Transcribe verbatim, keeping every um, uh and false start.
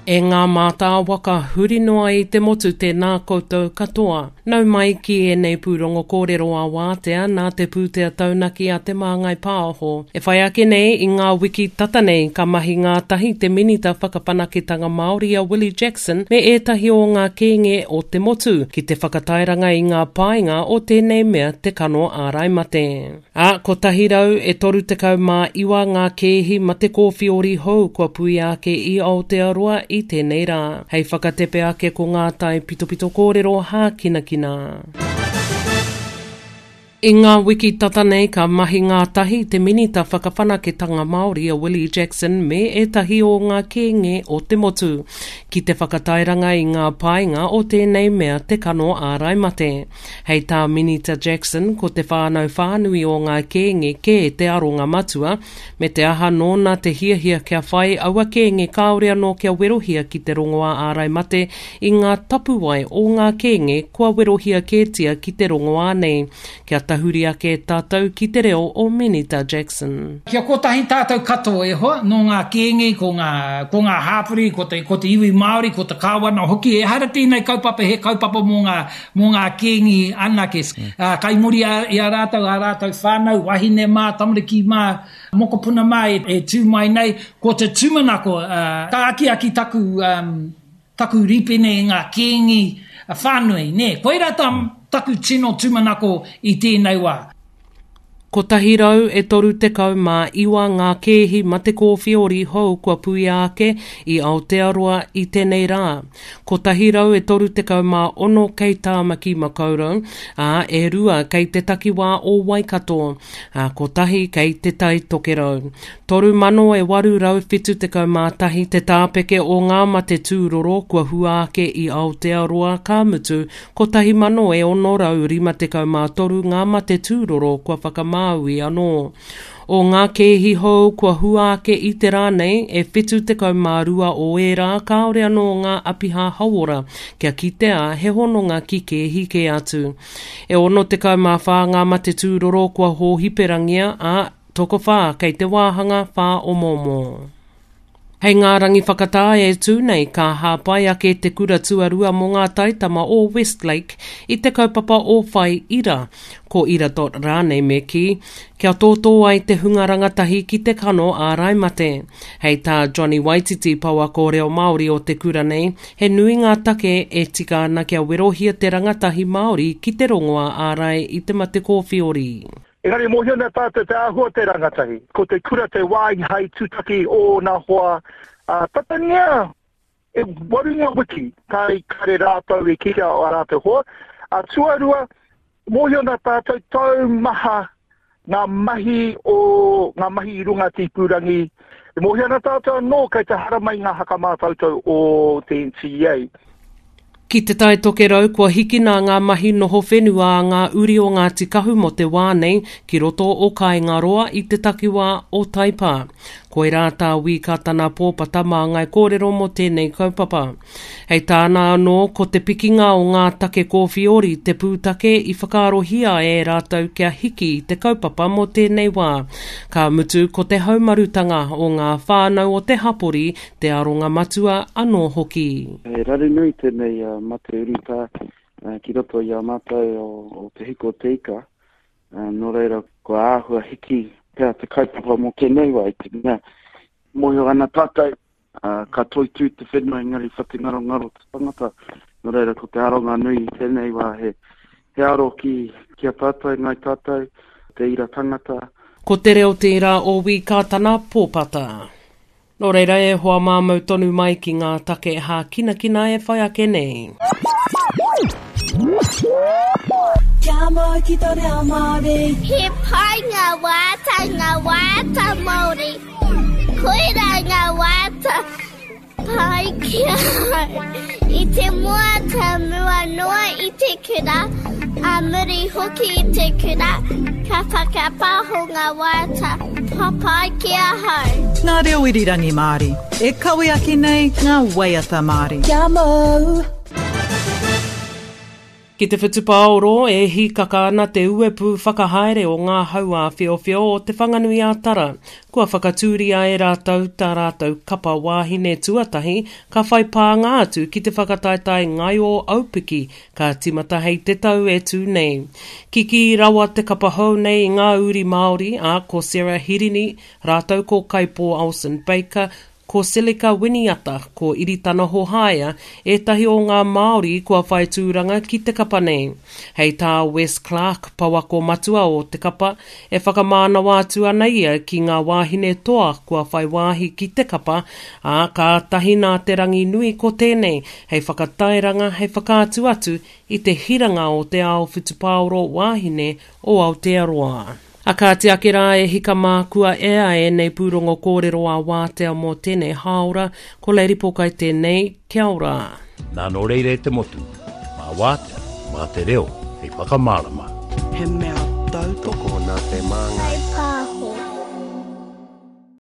E ngā mātāwaka huri noa i te motu tēnā koutou katoa. Nau mai ki ēnei pūrongo kōrero a wātea nā te pūtea taunaki a Te Māngai Pāho. E whai ake nei i ngā wiki tata nei ka mahi ngātahi te Minita Whakawhanaketanga Māori a Willie Jackson me ētahi o ngā kēnge o te motu ki te whakatairanga i ngā painga o tēnei mea te kano ārai mate. Ā, kotahi rau e toru tekau mā iwa ngā kēhi mate kōwhiori hou kua puia ake i Aotearoa i tēnei rā. Hei whakatepe ake ko ngā tai pitopito kōrero hākinakina. I ngā wiki tata nei ka mahi ngātahi te Minita Whakawhanaketanga Māori a Willie Jackson me ētahi o ngā kēnge o te motu ki te whakatairanga i ngā painga o tēnei mea te kano ārai mate. Hei tā Minita Jackson ko te whānau whānui o ngā kēnge kē te aronga matua me te aha nōna te hiahia kia whai aua kēnge kāore anō kia werohia ki te rongoā ārai mate i ngā tapuwae o ngā kēnge kua werohia kētia ki te rongoā nei. Kia tahuri ake tātou ki te reo o Minita Jackson. Kia kotahi tātou katoa e hoa, nō ngā kēnge, ko ngā, ko ngā hāpori, ko te, ko te iwi Māori, ko te kāwana hoki. Ehara tēnei kaupapa he kaupapa mō ngā, mō ngā kēnge anake. Mm. Uh, kai muri a, i a rātou, a rātou whānau, wahine mā, tamariki mā, mokopuna mā e, e tū mai nei. Ko te tūmanako, uh, ka akiaki taku, um, taku rīpene i ngā kēnge whānui. Nē? Koirā tā, taku tino tūmanako i tēnei wā. Kotahi rau e toru tekau mā iwa ngā kēhi mate kōwhiori hou kua puia ake i Aotearoa i tēnei rā. Kotahi rau e toru tekau mā ono kei Tāmaki Makaurau, ā, e rua kei te takiwā o Waikato, ā, kotahi kei te Tai Tokerau. Toru mano e waru rau whitu tekau mā tahi te tāpeke o ngā mate tūroro kua hua ake i Aotearoa ka mutu, kotahi mano e ono rau rima tekau mā toru ngā mate tūroro kua whakamā Māui anō. O ngā kēhi hou kua hua ake i te rā nei, e whitu tekau mā rua o ērā kāore anō ngā apiha hauora kia kitea he hononga ki kēhi kē atu. E ono tekau mā whā ngā mate tūroro kua hōhiperangia, ā, tokowhā kei te wāhanga whāomoomo. Hei ngā rangi whakatā e tū nei ka hāpai ake te kura tuarua mō ngā taitama o Westlake i te kaupapa o Whai Ira, ko Ira dot rānei me kī, kia tōtō ai te hunga rangatahi ki te kano ārai mate. Hei tā Johnny Waititi pouako reo Māori o te kura nei, he nui ngā take e tika ana kia werohia te rangatahi Māori ki te rongoā ārai i te mate kōwhiori. Engari mōhio ana tātou te āhua o te rangatahi. Ko te kura te wāhi hai tūtaki ōna hoa, ā, tatangia e waru ngā wiki kāre, kāre rātou e kitea o ā rātou hoa. Ā, tuarua, mōhio ana tātou taumaha ngā mahi o ngā mahi i runga tīpūrangi. E mōhio ana tātou anō kei te haramai ngā hakamātautau o te N T E A. Ki Te Tai Tokerau kua hikina ngā mahi noho whenua a ngā uri o Ngāti Kahu mō te wā nei ki roto o Kāingaroa i te takiwā o Taipā. Koirā tā Wī Kātana Pōpata māngai kōrero mō tēnei kaupapa. Hei tāna anō, ko te pikinga o ngā take kōwhiori te pūtake i whakaarohia e rātou kia hiki i te kaupapa mō tēnei wā. Ka mutu ko te haumarutanga o ngā whānau o te hapori te aronga matua anō hoki. He raru nui tēnei mate urutā ki roto i a mātou o Te Hiko o Te Ika. Nō reira, kua āhua hiki pea te kaupapa mō tēnei wā i te mea mōhio ana tātou, ka toitū te whenua engari whatingarongaro te tangata. Nō reira, ko te aronga nui i tēnei wā he, he aro ki, ki a tātou, ngai tātou, te ira tangata. Ko te reo tērā o Wī Kātana Pōpata. Nō reira e hoa māmau tonu mai ki ngā take hākinakina e whai ake nei. Kia mau ki tō reo Māori. He pai ngā waiata, ngā waiata Māori. Koirā ngā waiata pai ki ahau. I te moata mua noa i te kura, a muri hoki i te kura, ka whakapaho ngā waiata papai ki ahau. Ngā reo irirangi Māori, e kawe ake nei ngā waiata Māori. Kia mau! Ki te whutupaoro e hīkaka ana te uepu whakahaere o ngā hau āwhiowhio o Te Whanganui-a-Tara. Kua whakatūria e rātou tā rātou kapa wāhine tuatahi ka whai pānga atu ki te whakataetae ngaio aupiki ka timata hei te tau e tū nei. Kiki rawa te kapa hou nei i ngā uri Māori, a ko Sarah Hirini, rātou ko Kaipo Olsen Baker, ko Selica Winiata, ko Iritana Hohaia, ētahi o ngā Māori kua whai tūranga ki te kapa nei. Hei tā Wes Clark, pouako matua o te kapa, e whakamānawa atu ana ia ki ngā wāhine toa kua whai wāhi ki te kapa, ā, kātahi nā te rangi nui ko tēnei, hei whakatairanga, hei whakaatu atu i te hiranga o te ao whutupaoro wāhine o Aotearoa. A kāti ake rā e hika mā kua ea ēnei pūrongo kōrero a wātea mō tēnei hāora, ko Lady Pōkai tēnei, kia ora. Nā nō reira e te motu, mā wātea, mā te reo, hei whakamārama. He mea tautoko nā te māngai.